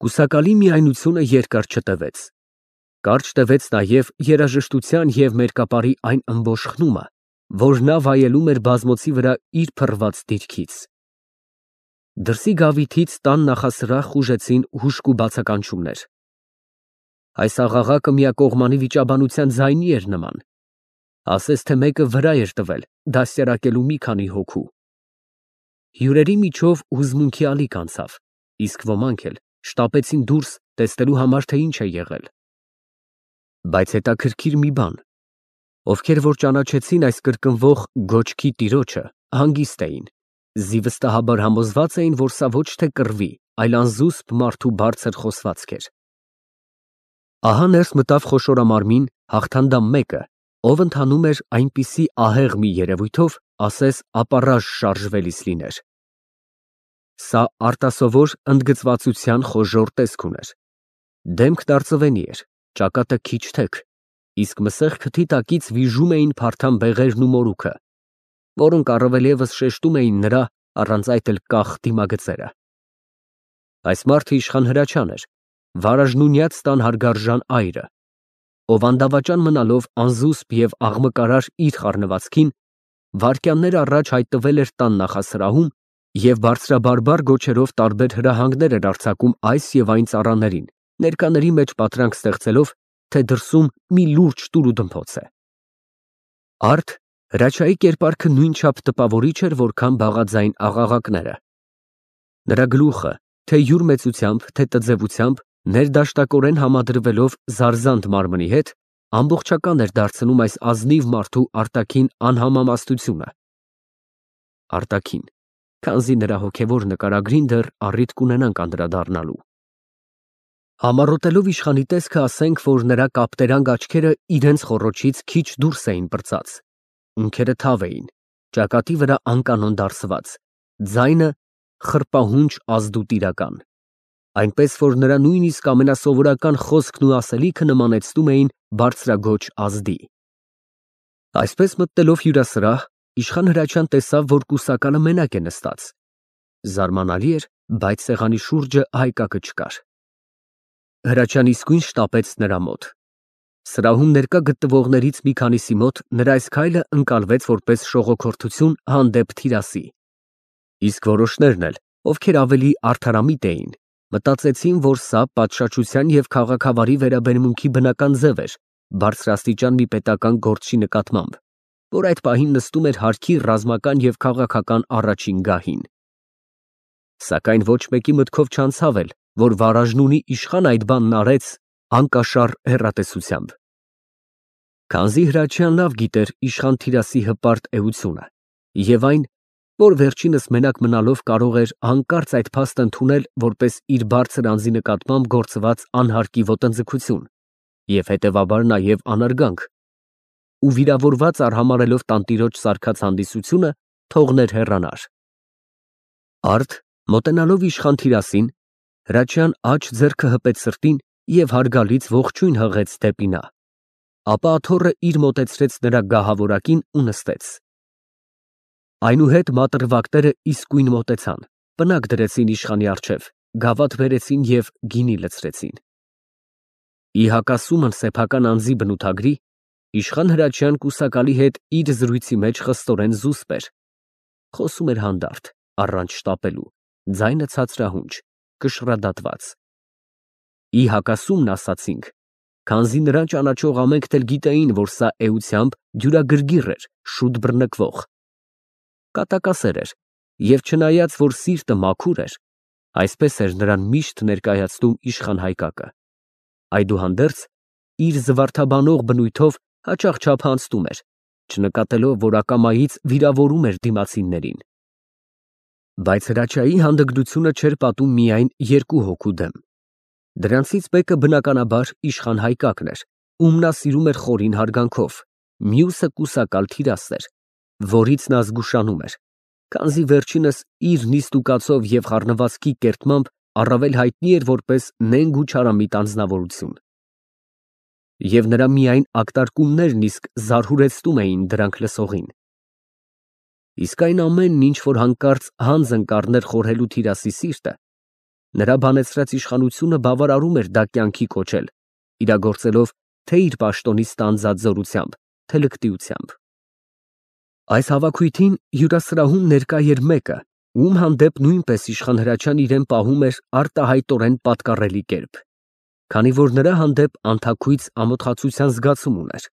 Կուսակալի միայնությունը երկար չտևեց։ Կարճ տևեց նաև երաժշտության և մերկապարի այն ըմբոշխ խնումը, որ նա վայելում էր բազմոցի վրա իր փռված դիրքից։ Դրսի գավիթից տան նախասրահ խուժեցին հուժկու բացականչումներ։ Այս աղաղակը միակողմանի վիճաբանության ձայնի էր նման, ասես թե մեկը վրա էր տվել դաստիարակելու մի քանի հոգու։ Հյուրերի միջով հուզմունքի ալիք անցավ, իսկ ոմանք էլ շտապեցին դուրս տեսնելու համար, թե ինչ է եղել։ Բայց հետաքրքիր մի բան, ովքեր որ ճանաչեցին այս կրկնվող գոչքի տիրոջը, հանգիստ էին, զիվստահաբար համոզված էին, որ սա ոչ թե կռվի, այլ անզուսպ մարդու բարձր խոսվածք էր։ Ահա ներս մտավ խոշորամարմին հաղթանդամ մեկը, ով ընթանում էր այնպիսի ահեղ մի երևույթով, ասես ապառաժ շարժվելիս լիներ։ Սա արտասովոր ընդգծվածության խոժոռ տեսք ուներ։ Դեմքն արծվենի էր, ճակատը քիչ թեք, իսկ մսեղ քթի տակից վիժում էին փարթամ բեղերն ու մորուքը, որոնք առավելևս շեշտում էին նրա, առանց այդ էլ կախ դիմագծերը։ Այս մարդը իշխան Հրաչյան էր, վարաժնունյաց տան հարգարժան այրը, ով անդավաճան մնալով անզուսպ և աղմկարար իր խառնվածքին, վայրկյաններ առաջ հայտնվել էր տան նախասրահում և բարձրաբարբառ գոչերով տարբեր հրահանգներ էր արձակում այս և այն ծառաներին, ներկաների մեջ պատրանք ստեղծելով, թե դրսում մի լուրջ տուրուդմփոց է։ Արդ Հրաչյայի կերպարքը նույնչափ տպավորիչ էր, որքան բաղաձայն աղաղակները։ Նրա գլուխը, թե յուր մեծությամբ, թե տձևությամբ, ներդաշտակորեն համադրվելով զարզանտ մարմնի հետ, ամբողջական էր դարձնում այս ազնիվ մարդու արտաքին անհամամաստությունը։ Արտաքին, քանզի նրա հոգևոր նկարագրին դեռ առիթ կունենանք անդրադառնալու։ Համառոտելով իշխանի տեսքը, ասենք, որ նրա կապտերանգ աչքերը իրենց խոռոչից քիչ դուրս էին պրծած, ունքերը թավ էին, ճակատի վրա անկանոն դարսված, ձայնը խռպահունչ ազդու տիրական, այնպես որ նրա նույնիսկ ամենասովորական խոսքն ու ասելիքը նմանեցնում էին բարձրագոչ ազդի։ Այսպես մտնելով հյուրասրահ, իշխան Հրաչյան տեսավ, որ կուսակալը մենակ է նստած։ Զարմանալի էր, բայց սեղանի շուրջը հայկակը չկար։ Հրաչյան իսկույն շտապեց նրա մոտ։ Սրահում ներկա գտնվողներից մի քանիսի մոտ նրա այս քայլը ընկալվեց որպես շողոքորթություն հանդեպ թիրասի։ Իսկ որոշներն էլ, ովքեր ավելի արդարամիտ էին, մտածեցին, որ սա պատշաճության և քաղաքավարի վերաբերմունքի բնական ձև էր բարձրաստիճան մի պետական գործչի նկատմամբ, որ այդ պահին նստում էր հարկի ռազմական և քաղաքական առաջին գահին։ Սակայն ոչ մեկի մտքով չանցավ էլ, որ վարաժնունի իշխան այդ բանն արեց անկաշառ հեռատեսությամբ։ Քանզի Հրաչյան լավ գիտեր իշխան Թիրասի հպարտ էությունը և այն, որ վերջինս մենակ մնալով կարող էր հանկարծ այդ փաստը ընդունել որպես իր բարձր անձի նկատմամբ գործված անհարկի ոտնձգություն և հետևաբար նաև անարգանք, ու վիրավորված արհամարհելով տանտիրոջ սարքած հանդիսությունը, թողներ հեռանար։ Արդ, մոտենալով իշխան Թիրասին, Հրաչյան աջ ձեռքը հպեց սրտին և հարգալից ողջույն հղեց դեպի նա, ապա աթոռը իր մոտեցրեց նրա գահավորակին ու նստեց։ Այնուհետ մատրվակները իսկույն մոտեցան, պնակ դրեցին իշխանի առջև, գավաթ բերեցին և գինի լցրեցին։ Ի հակասումն սեփական անձի բնութագրի, իշխան Հրաչյան կուսակալի հետ իր զրույցի մեջ խստորեն զուսպ էր, խոսում էր հանդարտ, առանց շտապելու, ձայնը ցածրահունչ, կշռադատված։ Ի հակասումն ասացինք, քանզի նրան ճանաչող ամենքն էլ գիտեին, որ սա էությամբ դյուրագրգիռ էր, շուտ բռնկվող։ Կատակասեր էր, և չնայած, որ սիրտը մաքուր էր, այսպես էր նրան միշտ ներկայացնում իշխան Հայկակը։ Այդուհանդերձ, իր զվարթաբանող բնույթով հաճախ չափանցնում էր, չնկատելով, որ ակամայից վիրավորում էր դիմացիններին։ Բայց Հրաչյայի հանդգնությունը չէր պատում միայն երկու հոգու դեմ։ Դրանցից մեկը բնականաբար իշխան Հայկակն էր, ում նա սիրում էր խորին հարգանքով, մյուսը կուսակալ Թիրասն էր, որից նա զգուշանում էր, քանզի վերջինս իր նիստուկացով և խառնվածքի կերտմամբ առավել հայտնի էր որպես նենգ ու չարամիտ անձնավորություն։ Եվ նրա միայն ակտարկումներն իսկ զարհուրեցնում էին դրանք լսողին։ Իսկ այն ամենն, ինչ որ հանկարծ հանձն կառներ խորհելու Թիրասի սիրտը, Նրա բանեցրած իշխանությունը բավարարում էր դա կյանքի կոչել, իրագործելով թե իր պաշտոնից ստանձած զորությամբ, թե լկտիությամբ։ Այս հավաքույթին հյուրասրահում ներկա էր մեկը, ում հանդեպ նույնպես իշխան Հրաչյան իրեն պահում էր արտահայտորեն պատկառելի կերպ, քանի որ նրա հանդեպ անթաքույց ամոթխացության զգացում ուներ։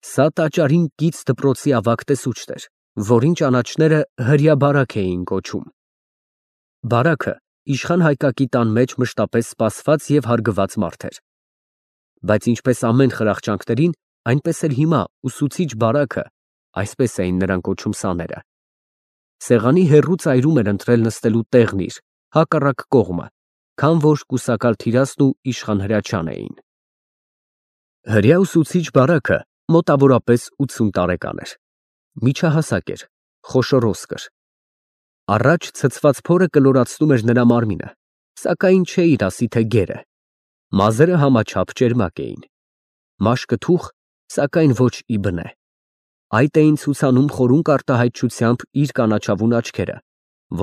Սա տաճարին կից դպրոցի ավագ տեսուչն էր, որին ճանաչները հրյա բարակ էին կոչում։ Բարակը իշխան Հայկակի տան մեջ մշտապես սպասված և հարգված մարդ էր։ Բայց ինչպես ամեն խրախճանքներին, այնպես էլ հիմա ուսուցիչ բարակը, այսպես էին նրան կոչում սաները, սեղանի հեռու ծայրում էր ընտրել նստելու տեղն իր, հակառակ կողմը, քան որ կուսակալ Թիրասն ու իշխան Հրաչյան էին։ Հրյա ուսուցիչ բարակը մոտավորապես 80 տարեկան էր, միջահասակ էր, խոշոր ոսկր։ Առաջ ցցված փորը կլորացնում էր նրա մարմինը, սակայն չէիր ասի, թե գեր է։ Մազերը համաչափ ճերմակ էին, մաշկը թուխ, սակայն ոչ ի բնե։ Այդ էին ցուցանում խորունկ արտահայտչությամբ իր կանաչավուն աչքերը,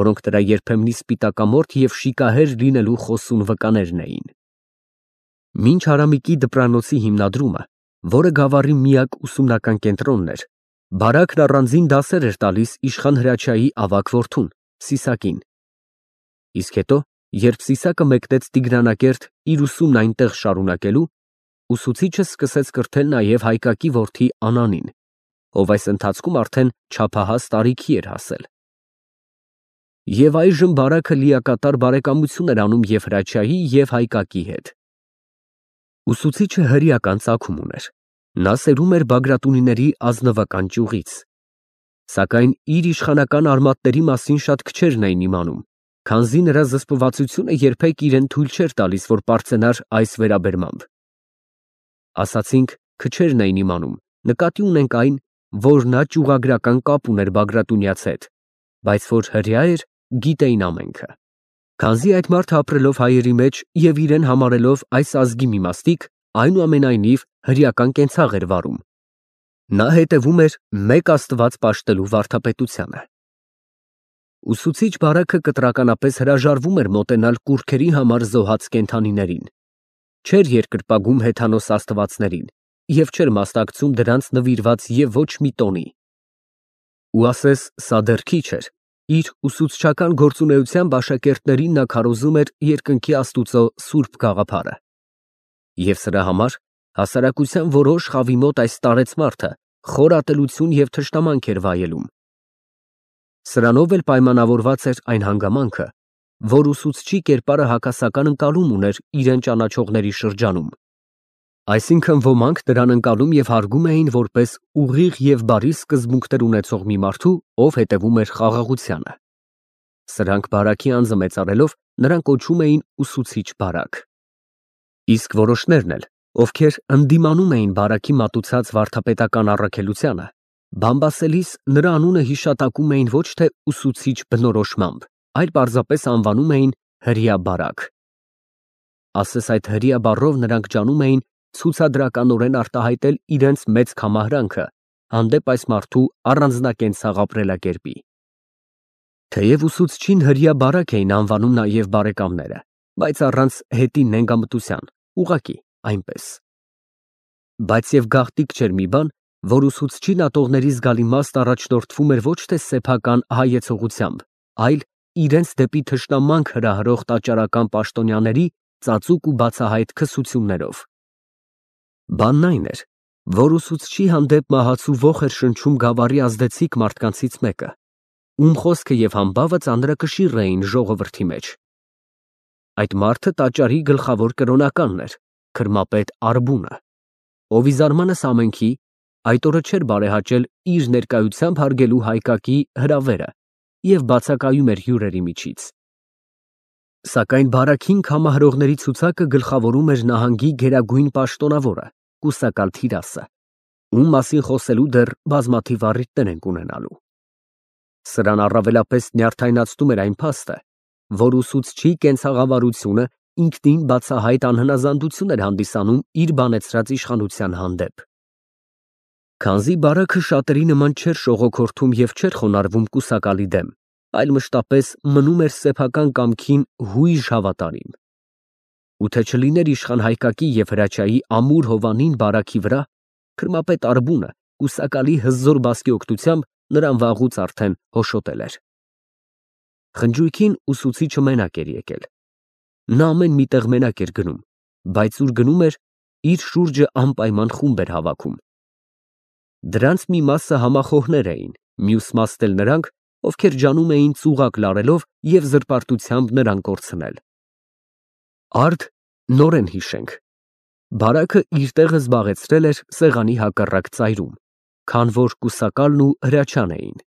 որոնք նրա երբեմնի սպիտակամորթ և շիկահեր լինելու խոսուն վկաներն էին։ Մինչ Արամիկի դպրանոցի հիմնադրումը, որը Գավառի միակ ուսումնական կենտրոնն էր, բարակն առանձին դասեր էր տալիս իշխան Հրաչյայի ավագ որդուն՝ Սիսակին։ Իսկ հետո, երբ Սիսակը մեկնեց Տիգրանակերտ իր ուսումն այնտեղ շարունակելու, ուսուցիչը սկսեց կրթել նաև Հայկակի որդի Անանին, ով այս ընթացքում արդեն չափահաս տարիքի էր հասել։ Եվ այժմ բարակը լիակատար բարեկամություն էր անում և Հրաչյայի և Հայկակի հետ։ Ուսուցիչը հրեական ծագում ուներ, նա սերում էր Բագրատունիների ազնվական ճյուղից, սակայն իր իշխանական արմատների մասին շատ քչերն էին իմանում, քանզի նրա զսպվածությունը երբեք իրեն թույլ չէր տալիս, որ պարծենար այս վերաբերմամբ։ Ասացինք քչերն էին իմանում, նկատի ունենք այն, որ նա ճյուղագրական կապ ուներ Բագրատունյաց հետ, բայց որ հրեա էր, գիտեին ամենքը։ Քանզի այդ մարդը ապրելով հայերի մեջ և իրեն համարելով այս ազգի մի մասնիկ, այնուամենայնիվ հրեական կենցաղ էր վարում։ Նա հետևում էր մեկ Աստված պաշտելու վարդապետությանը։ Ուսուցիչ բարակը կտրականապես հրաժարվում էր մոտենալ կուռքերի համար զոհած կենդանիներին, չէր երկրպագում հեթանոս աստվածներին և չէր մասնակցում դրանց նվիրված և ոչ մի տոնի։ Ու ասես սա դեռ քիչ էր, իր ուսուցչական գործունեությամբ աշակերտներին նա քարոզում էր երկնքի Աստուծո սուրբ գաղափարը։ Եվ սրա համար հասարակության որոշ խավի մոտ այս տարեց մարդը խոր ատելություն և թշնամանք էր վայելում։ Սրանով էլ պայմանավորված էր այն հանգամանքը, որ ուսուցչի կերպարը հակասական ընկալում ուներ իրեն ճանաչողների շրջանում։ Այսինքն ոմանք նրան ընկալում և հարգում էին որպես ուղիղ և բարի սկզբունքներ ունեցող մի մարդու, ով հետևում էր խաղաղությանը։ Սրանք բարակի անձը մեծարելով նրան կոչում էին ուսուցիչ բարակ։ Իսկ որոշներն էլ, ովքեր ընդդիմանում էին բարակի մատուցած վարդապետական առաքելությանը, բամբասելիս նրա անունը հիշատակում էին ոչ թե ուսուցիչ բնորոշմամբ, այլ պարզապես անվանում էին հրեա բարակ։ Ասես այդ հրեա բառով նրանք ջանում էին ցուցադրականորեն արտահայտել իրենց մեծ կամահրանքը հանդեպ այս մարդու առանձնակենցաղ ապրելակերպի։ Թեև ուսուցչին հրեա բարակ էին անվանում նաև բարեկամները, բայց առանց հետի նենգամտության, ուղղակի այնպես։ Բայց և գաղտնիք չէր մի բան, որ ուսուցչին ատողների զգալի մասն առաջնորդվում էր ոչ թե սեփական հայեցողությամբ, այլ իրենց դեպի թշնամանք հրահրող տաճարական պաշտոնյաների ծածուկ ու բացահայտ քսություններով։ Բանն այն էր, որ ուսուցչի հանդեպ մահացու ոխ էր շնչում Գավառի ազդեցիկ մարդկանցից մեկը, ում խոսքը և համբավը ծանրակշիռ էին ժողովրդի մեջ։ Այդ մարդը տաճարի գլխավոր կրոնականն էր, քրմապետ Արբունը, ով ի զարմանս ամենքի այդ օրը չէր բարեհաճել իր ներկայությամբ հարգելու Հայկակի հրավերը և բացակայում էր հյուրերի միջից։ Սակայն բարաքին կամահարողների ցուցակը գլխավորում էր նահանգի գերագույն պաշտոնավորը, կուսակալ Թիրասը, ում մասին խոսելու դեռ բազմաթիվ առիթներ ենք ունենալու։ Սրան առավելապես նյարդայնացնում էր այն փաստը, որ ուսուցչի կենցաղավարությունը ինքնին բացահայտ անհնազանդություն էր հանդիսանում իր բանեցրած իշխանության հանդեպ։ Քանզի բարակը շատերի նման չէր շողոքորթում և չէր խոնարհվում կուսակալի դեմ, այլ մշտապես մնում էր սեփական կամքին հույժ հավատարիմ։ Ու թե չլիներ իշխան Հայկակի և Հրաչյայի ամուր հովանին բարաքի վրա, քրմապետ Արբունը կուսակալի հզոր բասկի օգնությամբ նրան վաղուց արդեն հոշոտել էր։ Խնջույքին ուսուցիչը մենակ էր եկել։ Նա ամեն մի տեղ մենակ էր գնում, բայց ուր գնում էր, իր շուրջը անպայման խումբ էր հավաքում։ Դրանց մի մասը համախոհներ էին, մյուս մասն էլ նրանք, ովքեր ջանում էին ծուղակ լարելով և զրպարտությամբ նրան կորցնել։ Արդ նորեն հիշենք։ Բարակը իր տեղը զբաղեցրել էր սեղանի հակառակ ծայրում, քան որ կուսակալն ու Հրաչյան էին։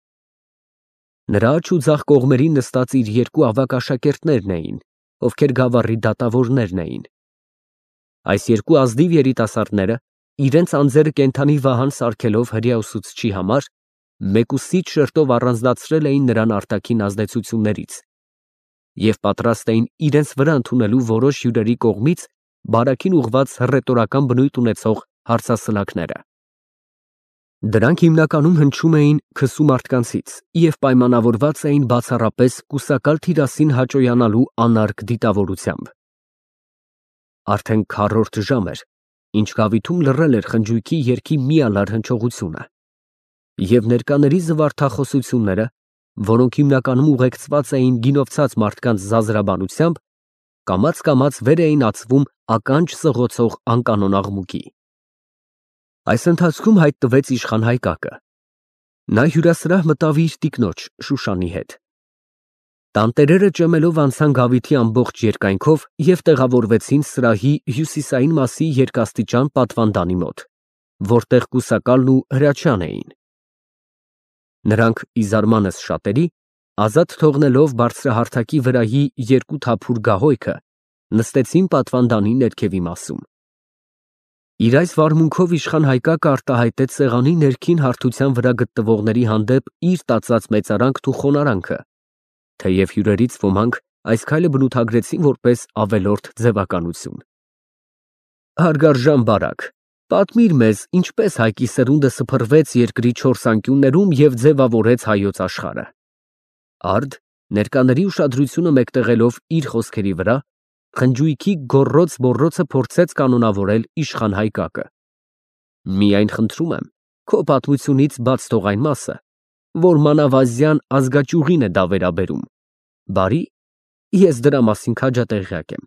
Նրա աջ ու ձախ կողմերին նստած իր երկու ավագ աշակերտներն էին, ովքեր գավառի դատավորներն էին։ Այս երկու ազնիվ երիտասարդները, իրենց անձերը կենդանի վահան սարքելով հրեա ուսուցչի համար, մեկուսի շերտով առանձնացրել էին նրան արտաքին ազդեցություններից և պատրաստ էին իրենց վրա ընդունելու որոշ հյուրերի կողմից բարաքին ուղղված հռետորական բնույթ ունեցող հարցասլաքները։ Դրանք հիմնականում հնչում էին քսու մարդկանցից և պայմանավորված էին բացառապես կուսակալ Թիրասին հաճոյանալու անարգ դիտավորությամբ։ Արդեն քառորդ ժամ էր, ինչ գավիթում լռել էր խնջույքի երգի միալար հնչողությունը, և ներկաների զվարթախոսությունները, որոնք հիմնականում ուղեկցված էին գինովցած մարդկանց զազրաբանությամբ, կամաց վեր էին ածվում ականջ սղոցող անկանոն աղմուկի։ Այս ընթացքում հայտնվեց իշխան Հայկակը։ Նա հյուրասրահ մտավ իր տիկնոջ Շուշանի հետ։ Տանտերերը ճեմելով անցան գավիթի ամբողջ երկայնքով և տեղավորվեցին սրահի հյուսիսային մասի երկաստիճան պատվանդանի մոտ, որտեղ կուսակալն ու Հրաչյան էին։ Նրանք, ի զարմանս շատերի, ազատ թողնելով բարձրահարթակի վրայի երկու թափուր գահոյքը, նստեցին պատվանդանի ներքևի մասում։ Իր այս վարմունքով իշխան Հայկակը արտահայտեց սեղանի ներքին հարթության վրա գտնվողների հանդեպ իր տածած մեծարանքն ու խոնարհանքը, թեև հյուրերից ոմանք այս քայլը բնութագրեցին որպես ավելորդ ձևականություն։ Հարգարժան բարակ, պատմիր մեզ, ինչպես Հայկի սերունդը սփռվեց երկրի չորս անկյուններում և ձևավորեց հայոց աշխարհը։ Արդ, ներկաների ուշադրությունը մեկտեղելով իր խոսքերի վրա, խնջույքի գոռոծ֊մոռոցը փորձեց կանոնավորել իշխան Հայկակը։ Միայն խնդրում եմ, քո պատմությունից բաց թող այն մասը, որ մանավազյան ազգաճյուղին է դա վերաբերում։ Բարի, ես դրա մասին քաջատեղյակ եմ։